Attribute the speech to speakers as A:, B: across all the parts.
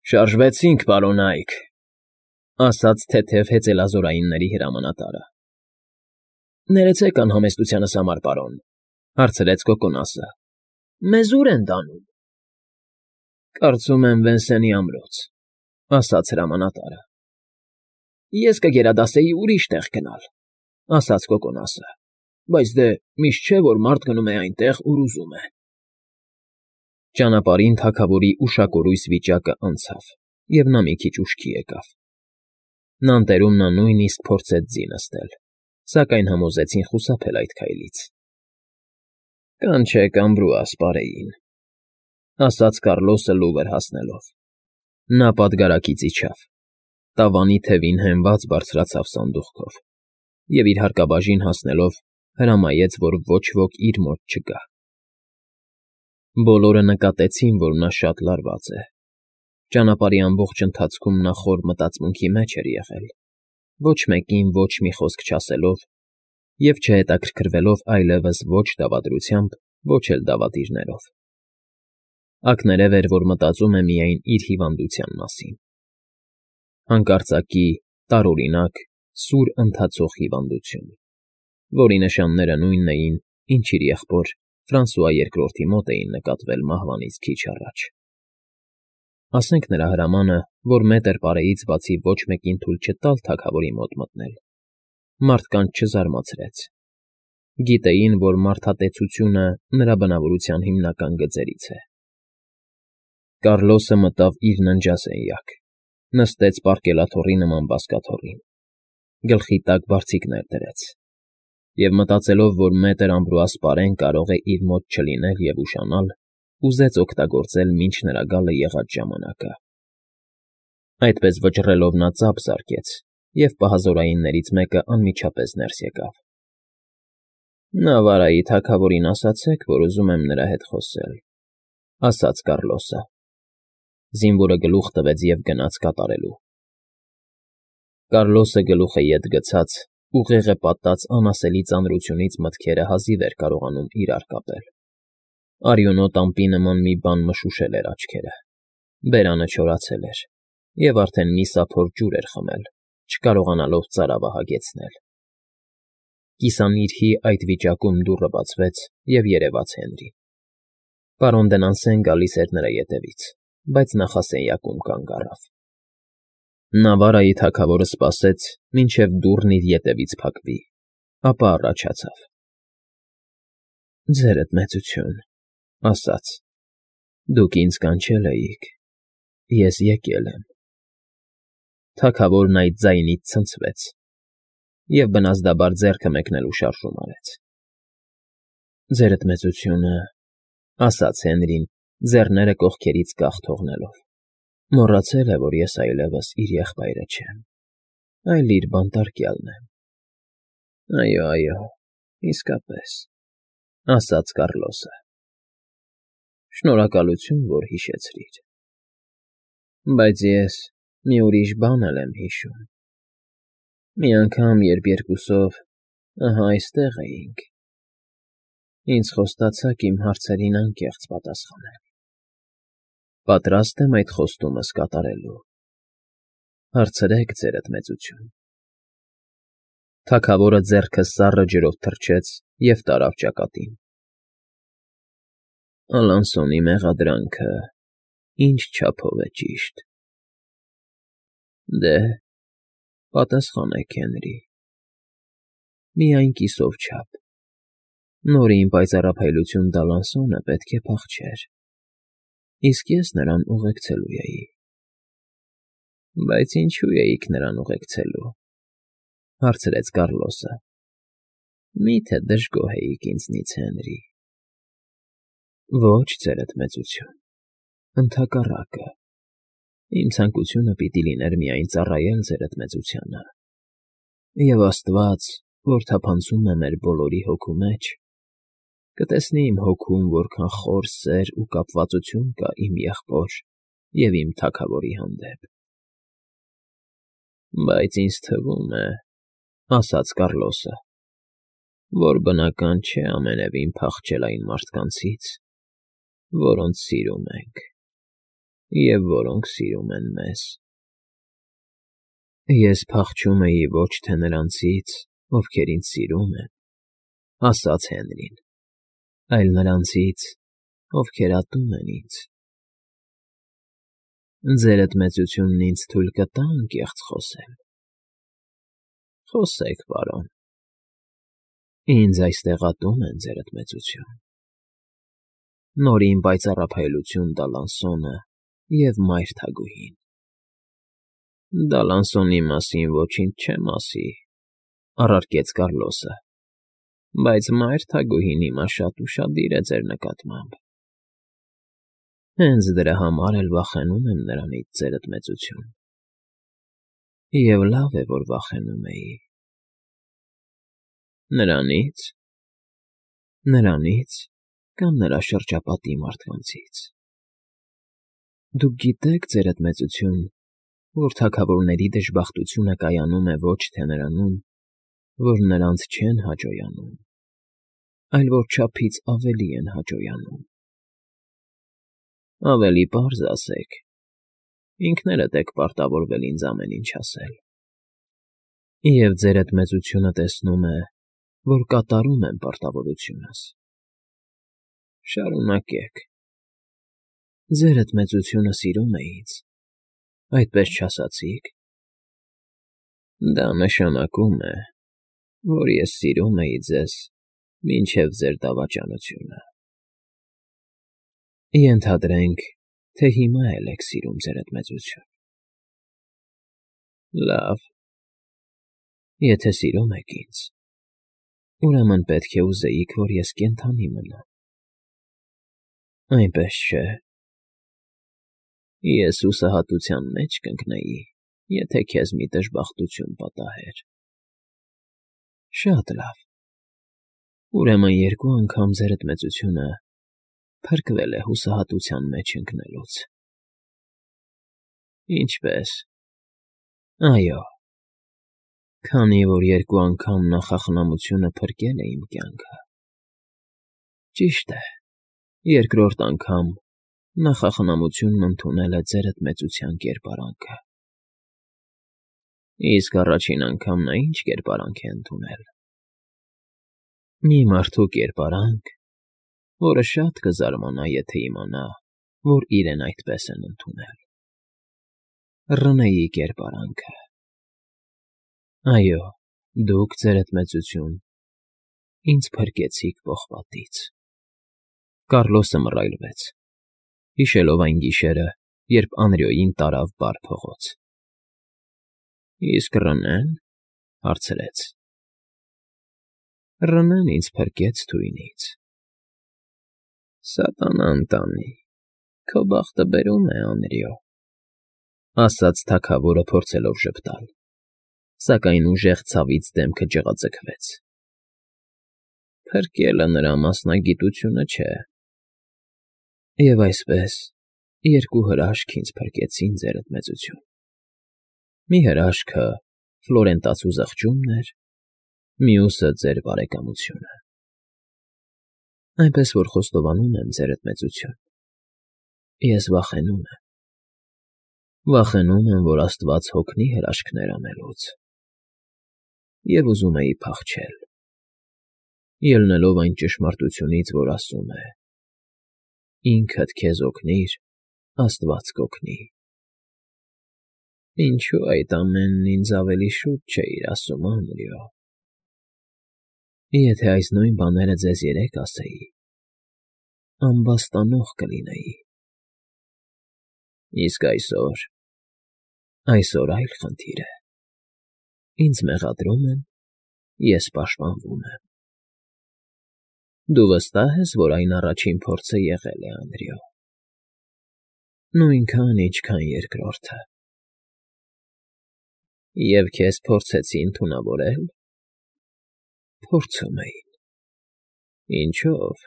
A: Շարժվեցինք, պարոն Այք,֊ ասաց թեթև հեծելազորայինների հրամանատարը։ ֊ Ներեցեք անհամեստությանս համար, պարոն,֊ հարցրեց Կոկոնասը,֊ մեզ ո՞ւր են տանում։ ֊ Կարծում եմ Վենսենի ամրոց,֊ ասաց հրամանատարը։ ֊ Ես կգերադասեի ուրիշ տեղ գնալ,֊ ասաց Կոկոնասը,֊ բայց դե միշտ չէ, որ մարդ գնում է այնտեղ, ուր ուզում է։ Ճանապարհին թագավորի ուշակորույս վիճակը անցավ, և նա մի քիչ ուշքի եկավ։ Նանտերում նա նույնիսկ փորձեց ձի նստել, սակայն համոզեցին խուսափել այդ քայլից։ ֊ Կանչեք Ամբրուաս պարեին,֊ ասաց Կառլոսը լուվր հասնելով։ Նա պատգարակից իջավ, տավանի թևին հենված բարձրացավ սանդուղքով և, իր հարկաբաժին հասնելով, հրամայեց, որ ոչ ոք իր մոտ չգա։ Բոլորը նկատեցին, որ նա շատ լարված է։ Ճանապարհի ամբողջ ընթացքում նա խոր մտածմունքի մեջ էր եղել, ոչ մեկին ոչ մի խոսք չասելով և չհետաքրքրվելով այլևս ոչ դավադրությամբ, ոչ էլ դավադիրներով։ Ակներև էր, որ մտածում է միայն իր հիվանդության մասին։ Հանկարծակի, տարօրինակ, սուր ընթացող հիվանդություն, որի նշանները նույնն էին, ինչ իր եղբոր Ֆրանսուଆ II-ի մոտ էին նկատվել մահվանից քիչ առաջ։ Ասենք նրա հրամանը, որ մետր պարեից բացի ոչ մեկին թույլ չտալ թագավորի մոտ մտնել, մարդկանց չզարմացրեց։ Գիտեին, որ մարդատեցությունը նրա բնավորության հիմնական գծերից է։ Կառլոսը մտավ իր ննջասենյակ, նստեց պարկելաթոռի նման բազկաթոռին, գլխի տակ բարձիկներ դրեց և, մտածելով, որ մետր Ամբրուաս պարեն կարող է իր մոտ չլինել և ուշանալ, ուզեց օգտագործել մինչ նրա գալը եղած ժամանակը։ Այդպես վճռելով նա ծափ զարկեց, և պահազորայիններից մեկը անմիջապես ներս եկավ։ ֊ Նավարայի թագավորին ասացեք, որ ուզում եմ նրա հետ խոսել,֊ ասաց Կառլոսը։ Զինվորը գլուխ տվեց և գնաց կատարելու։ Կառլոսը գլուխը ետ գցած, ուղեղը պատած անասելի ծանրությունից մտքերը հազիվ էր կարողանում իրար կապել։ Արյունոտ ամպի նման մի բան մշուշել էր աչքերը, բերանը չորացել էր, և արդեն մի սափոր ջուր էր խմել, չկարողանալով ծարավը հագեցնել։ Կիսանիրհի այդ վիճակում դուռը բացվեց, և երևաց Հենրին։ Պարոն Դնանսեն գալիս էր նրա ետևից, բայց նախասենյակում կանգ առավ։ Նավարայի թագավորը սպասեց, մինչև դուռն իր ետևից փակվի, ապա առաջացավ։ ֊ Ձերդ մեծություն,֊ ասաց,֊ դուք ինձ կանչել էիք, ես եկել եմ։ Թագավորն այդ ձայնից ցնցվեց և բնազդաբար ձեռքը մեկնելու շարժում արեց։ ֊ Ձերդ մեծությունը,֊ ասաց Հենրին, ձեռները կողքերից կախ թողնելով,֊ մոռացել է, որ ես այլևս իր եղբայրը չեմ, այլ իր բանտարկյալն եմ։ ֊ Այո, իսկապես,֊ ասաց Կառլոսը։ ֊ Շնորհակալություն, որ հիշեցրիր։ Բայց ես մի ուրիշ բան էլ եմ հիշում։ Մի անգամ, երբ երկուսով ահա այստեղ էինք, ինձ խոստացաք իմ հարցերին անկեղծ պատասխանել։ Պատրաստ եմ այդ խոստումս կատարելու։ Հարցրեք, ձերդ մեծություն։ Թագավորը ձեռքը սառը ջրով թրջեց և տարավ ճակատին։ Ալանսոնի մեղադրանքը ինչ չափով է ճիշտ։ Դե, պատասխանեք, Հենրի։ Միայն կիսով չափ։ Նորին պայծառափայլություն տալ Ալանսոնը պետք է փախչեր, իսկ ես նրան ուղեկցելու էի։ ֊ Բայց ինչո՞ւ էիք նրան ուղեկցելու,֊ հարցրեց Կառլոսը։ Մի՞թե դժգոհ էիք ինձնից, Հենրի։ ֊ Ոչ, ձերդ մեծություն, ընդհակառակը, իմ ցանկությունը պիտի լիներ միայն ծառայել ձերդ մեծությանը, և աստված, որ թափանցում է մեր բոլորի հոգու մեջ, կտեսնի իմ հոգում որքան խոր սեր ու կապվածություն կա իմ եղբոր և իմ թագավորի հանդեպ։ ֊ Բայց ինձ թվում է,֊ ասաց Կառլոսը,֊ որ բնական չէ ամենևին փախչել այն մարդկանցից, որոնց սիրում ենք, և որոնք սիրում են մեզ։ Ես փախչում էի ոչ թե նրանցից, ովքեր ինձ սիրում են, ասաց Հենրին, այլ նրանցից, ովքեր ատում են ինձ։ Ձերդ մեծությունն ինձ թույլ կտա անկեղծ խոսել։ Խոսեք, պարոն։ Ինձ այստեղ ատում են, ձերդ մեծություն։ Նորին պայծառափայլություն Դալանսոնը և մայր թագուհին։ Դալանսոնի մասին ոչինչ չեմ ասի, առարկեց Կառլոսը, բայց մայր թագուհին հիմա շատ ուշադիր է ձեր նկատմամբ։ Հենց դրա համար էլ վախենում եմ նրանից, ձերդ մեծություն։ Եվ լավ է, որ վախենում էի։ Նրանից կամ նրա շրջապատի մարդկանցից։ Դուք գիտեք, ձերդ մեծություն, որ թագավորների դժբախտությունը կայանում է ոչ թե նրանում, որ նրանց չեն հաջողանում, այլ որ չափից ավելի են հաջողանում։ Ավելի պարզ ասեք, ինքներդ եք պարտավորվել ինձ ամեն ինչ ասել։ Եվ ձերդ մեծությունը տեսնում է, որ կատարում եմ պարտավորությունս։ Շարունակեք։ Ձերդ մեծությունը սիրում է ինձ, այդպես չասացի՞ք։ Դա նշանակում է, որ ես սիրում էի ձեզ մինչև ձեր դավաճանությունը։ Ենթադրենք, թե հիմա էլ եք սիրում, ձերդ մեծություն։ Լավ, եթե սիրում եք ինձ, ուրեմն պետք է ուզեիք, որ ես կենդանի մնամ։ Այնպես չէ։ Ես հուսահատության մեջ կընկնեի, եթե քեզ մի դժբախտություն պատահեր։ Շատ լավ։ Ուրեմն երկու անգամ ձերդ մեծությունը փրկվել է հուսահատության մեջ ընկնելուց։ Ինչպե՞ս։ Այո, քանի որ երկու անգամ նախախնամությունը փրկել է իմ կյանքը։ Ճիշտ է, երկրորդ անգամ նախախնամությունն ընդունել է ձերդ մեծության կերպարանքը։ Իսկ առաջին անգամ նա ինչ կերպարանք է ընդունել։ Մի մարդու կերպարանք, որը շատ կզարմանա, եթե իմանա, որ իրեն այդպես են ընդունել։ Ռնեի կերպարանքը։ Այո, դուք, ձերդ մեծություն, ինձ փրկեցիք պողպատից։ Կառլոսը մռայլվեց, հիշելով այն գիշերը, երբ Անրիոյին տարավ բարդ փողոց։ Իսկ Ռնե՞ն,֊ հարցրեց։ Ռնեն ինձ փրկեց թույնից։ Սատանան տանի, քո բախտը բերում է, Անրիո,֊ ասաց թագավորը, փորձելով ժպտալ, սակայն ուժեղ ցավից դեմքը ջղաձգվեց։ Փրկելը նրա մասնագիտությունը չէ։ Եվ այսպես, երկու հրաշք ինձ փրկեցին, ձերդ մեծություն։ Մի հրաշքը Ֆլորենտացու զղջումն էր, մյուսը ձեր բարեկամությունը։ Այնպես որ խոստովանում եմ, ձերդ մեծություն, ես վախենում եմ։ Վախենում եմ, որ Աստված հոգնի հրաշքներ անելուց։ Եվ ուզում էի փախչել, ելնելով այն ճշմարտությունից, որ ասում է. «Ինքդ քեզ օգնիր, Աստված կօգնի»։ Ինչո՞ւ այդ ամենն ինձ ավելի շուտ չէիր ասում, Անրիո։ Եթե այս նույն բաները ձեզ երեկ ասեի, ամբաստանող կլինեի։ Իսկ այսօր այլ խնդիր է։ Ինձ մեղադրում են, ես պաշտպանվում եմ։ Դու վստահ ես, որ այն առաջին փորձը եղել է, Անրիո։ Նույնքան, ինչքան երկրորդը։ Եվ քեզ փորձեցին թունավորել։ Փորձում էին։ Ինչո՞վ։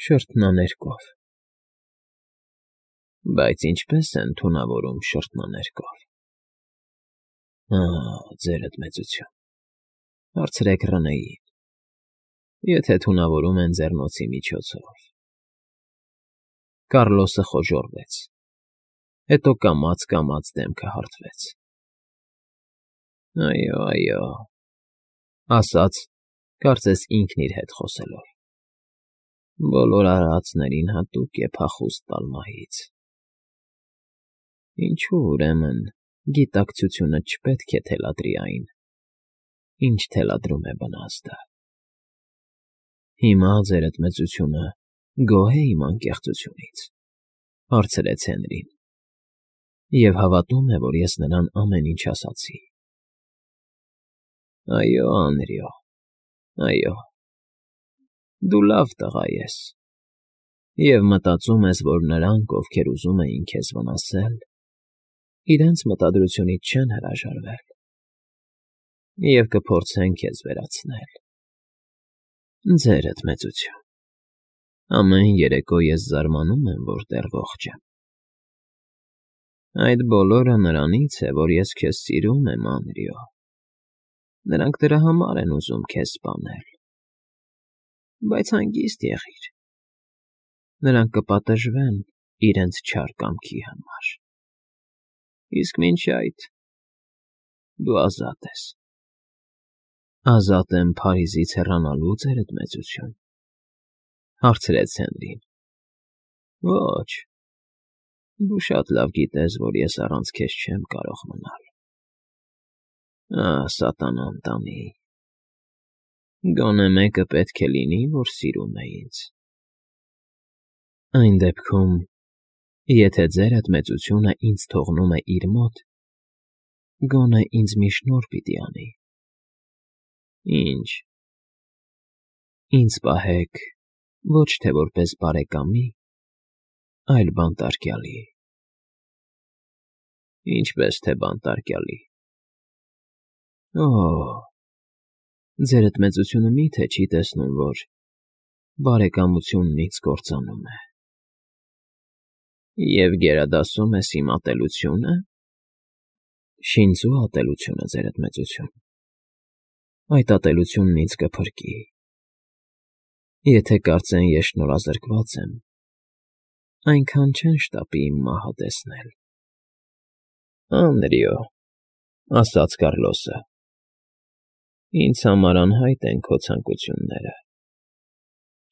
A: Շրթնաներկով։ Բայց ինչպե՞ս են թունավորում շրթնաներկով։ Ձերդ մեծություն, հարցրեք Ռնեին, եթե թունավորում են ձեռնոցի միջոցով։ Կառլոսը խոժոռվեց, հետո կամաց դեմքը հարթվեց։ Այո, այո, ասաց, կարծես ինքն իր հետ խոսելով։ Բոլոր արարածներին հատուկ է փախուստ տալ մահից։ Ինչու ուրեմն գիտակցությունը չպետք է թելադրի այն, ինչ թելադրում է բնազդը։ Հիմա ձերդ մեծությունը գոհ է իմ անկեղծությունից, հարցրեց Հենրին, և հավատում է, որ ես նրան ամեն ինչ ասացի։ Այո, Անրիո, այո, դու լավ տղա ես, և մտածում ես, որ նրանք, ովքեր ուզում էին քեզ վնասել, իրենց մտադրությունից չեն հրաժարվել, և կփորձեն քեզ վերացնել։ Ձերդ մեծություն, ամեն երեկո ես զարմանում եմ, որ դեռ ողջ եմ։ Այդ բոլորը նրանից է, որ ես քեզ սիրում եմ, Անրիո։ Նրանք դրա համար են ուզում քեզ սպանել։ Բայց հանգիստ եղիր։ Նրանք կպատժվեն իրենց չար կամքի համար։ Իսկ մինչ այդ դու ազատ ես։ Ազատ եմ Փարիզից հեռանալու, ձերդ մեծություն, հարցրեց Հենրին։ Ոչ, դու շատ լավ գիտես, որ ես առանց քեզ չեմ կարող մնալ։ Սատանան տանի։ Գոնե մեկը պետք է լինի, որ սիրում է ինձ։ Այն դեպքում, եթե ձերդ մեծությունը ինձ թողնում է իր մոտ, գոնե ինձ մի շնորհ պիտի անի։ Ինչ։ Ինձ պահեք ոչ թե որպես բարեկամի, այլ բանտարկյալի։ Ինչպես թե բանտարկյալի։ Ձերդ մեծությունը մի՞թե չի տեսնում, որ բարեկամությունն ինձ կործանում է։ Եվ գերադասում ես իմ ատելությունը։ Շինծու ատելությունը, ձերդ մեծություն։ Այդ ատելությունն ինձ կփրկի։ Եթե կարծեն ես շնորհազրկված եմ, այնքան չեն շտապի իմ մահը տեսնել։ Անրիո, ասաց Կառլոսը, ինձ համար անհայտ են քո ցանկությունները։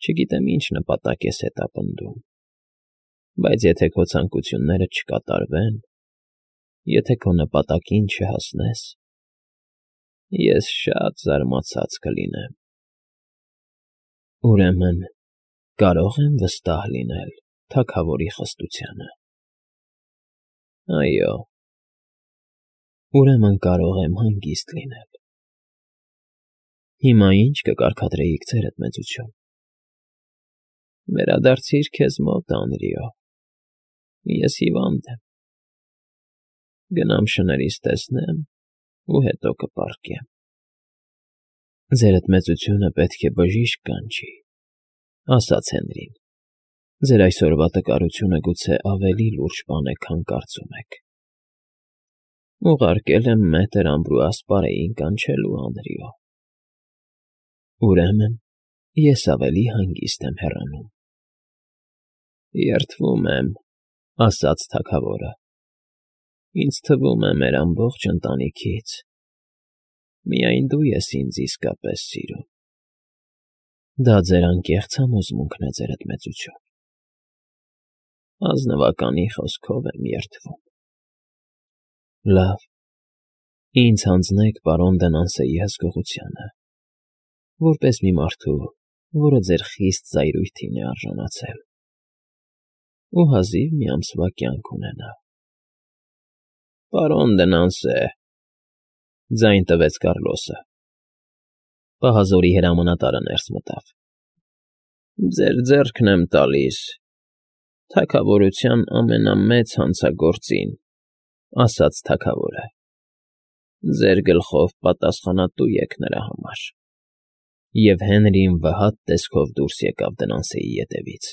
A: Չգիտեմ ինչ նպատակ ես հետապնդում, բայց եթե քո ցանկությունները չկատարվեն, եթե քո նպատակին չհասնես, ես շատ զարմացած կլինեմ։ Ուրեմն կարո՞ղ եմ վստահ լինել թագավորի խստությանը։ Այո։ Ուրեմն կարող եմ հանգիստ լինել։ Հիմա ի՞նչ կկարգադրեիք, ձերդ մեծություն։ Վերադարձիր քեզ մոտ, Անրիո։ Ես հիվանդ եմ։ Գնամ շներիս տեսնեմ ու հետո կպառկեմ։ Ձերդ մեծությունը պետք է բժիշկ կանչի, ասաց Հենրին։ Ձեր այսօրվա տկարությունը գուցե ավելի լուրջ բան է, քան կարծում եք։ Ուղարկել եմ մետր Ամբրուաս֊Պարեին կանչելու, Անրիո։ Ուրեմն ես ավելի հանգիստ եմ հեռանում։ Երդվում եմ, ասաց թագավորը։ Ինձ թվում է մեր ամբողջ ընտանիքից միայն դու ես ինձ իսկապես սիրում։ Դա ձեր անկեղծ համոզմունքն է, ձերդ մեծություն։ Ազնվականի խոսքով եմ երդվում։ Լավ, ինձ հանձնեք պարոն Դենանսեի հսկողությանը, որպես մի մարդու, որը ձեր խիստ զայրույթին է արժանացել, ու հազիվ մի ամսվա կյանք ունենա։ Պարոն Դենանսե, ձայն տվեց Կառլոսը։ Պահազորի հրամանատարը ներս մտավ։ Ձեր ձեռքն եմ տալիս թագավորության ամենամեծ հանցագործին, ասաց թագավորը։ Ձեր գլխով պատասխանատու եք նրա համար։ Եվ Հենրին վհատ տեսքով դուրս եկավ Դենանսեի ետևից։